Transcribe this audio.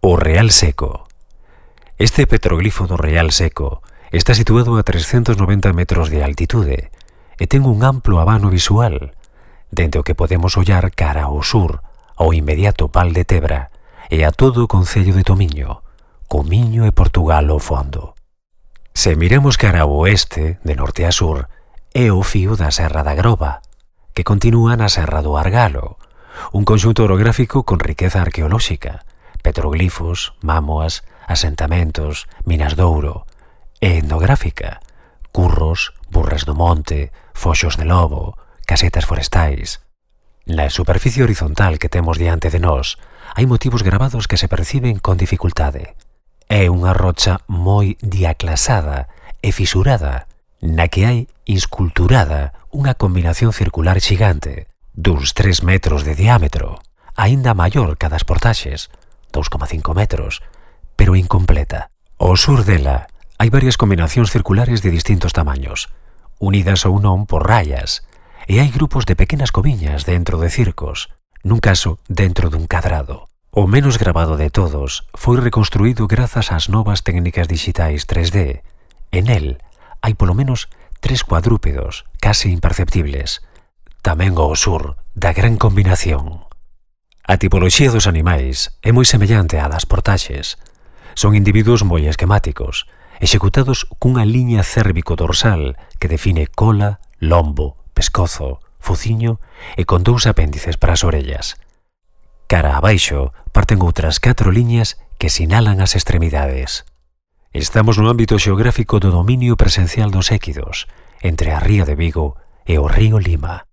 O Real Seco. Este petroglifo do Real Seco está situado a 390 metros de altitude e ten un amplo abano visual, dende o que podemos ollar cara ao sur, ao inmediato Val de Tebra e a todo o concello de Tomiño, co Miño e Portugal ao fondo. Se miramos cara ao oeste, de norte a sur, é o fío da Serra da Groba, que continúa na Serra do Argalo, un conxunto orográfico con riqueza arqueolóxica, petroglifos, mámoas, asentamentos, minas de ouro, e etnográfica, curros, burras do monte, foxos de lobo, casetas forestais. Na superficie horizontal que temos diante de nós, hai motivos gravados que se perciben con dificultade. É unha rocha moi diaclasada e fisurada, na que hai insculturada unha combinación circular xigante, duns 3 metros de diámetro, aínda maior que a das portaxes, 2,5 metros, pero incompleta. Ao sur dela hai varias combinacións circulares de distintos tamaños, unidas ou non por raias, e hai grupos de pequenas coviñas dentro de circos, nun caso dentro dun cadrado. O menos gravado de todos foi reconstruído grazas ás novas técnicas digitais 3D. En el hai polo menos 3 cuadrúpedos, case imperceptibles. Tamén ao sur da gran combinación. A tipoloxía dos animais é moi semellante á das portaxes. Son individuos moi esquemáticos, executados cunha liña cérvico-dorsal que define cola, lombo, pescozo, fociño e con 2 apéndices para as orellas. Cara abaixo parten outras 4 liñas que sinalan as extremidades. Estamos no ámbito xeográfico do dominio presencial dos équidos, entre a ría de Vigo e o río Lima.